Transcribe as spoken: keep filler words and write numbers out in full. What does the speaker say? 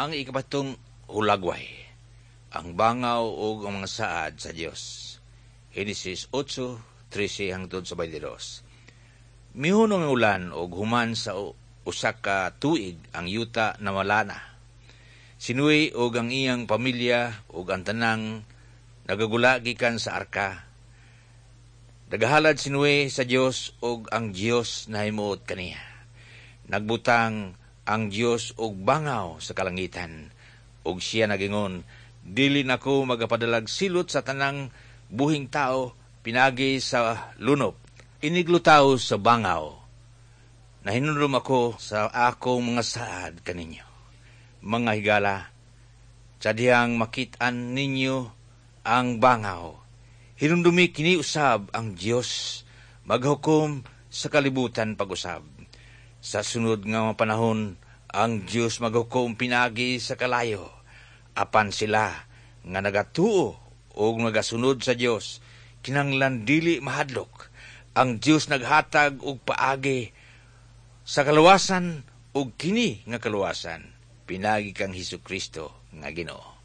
Ang ikapatong hulagway, ang bangaw ug ang mga saad sa Dios. Henesis eight trese hangtod sa beinte dos. Mihunong ang ulan ug human sa usa ka tuig ang yuta nawala na. Si Noe ug ang iyang pamilya ug ang tanang nagagula gikan sa arka. Nagahalad si Noe sa Dios ug ang Dios nahimuot kaniya. Nagbutang ang Dios og bangaw sa kalangitan ug siya nagingon, "Dili nako magapadalag silot sa tanang buhing tao pinagi sa lunop." Iniglutaw sa bangaw, nahinulom ako sa akong mga saad kaninyo. Mga higala, sa dihang makit-an ninyo ang bangaw, hinumdumi kini usab ang Dios maghukom sa kalibutan pag-usab. Sa sunod nga mga panahon, ang Dios maghukom pinagi sa kalayo. Apan sila nga nagatuo o nagasunod sa Dios, kinanglan dili mahadlok. Ang Dios naghatag og paagi sa kaluwasan ug kini nga kaluwasan pinagi kang Hesus Kristo nga Ginoo.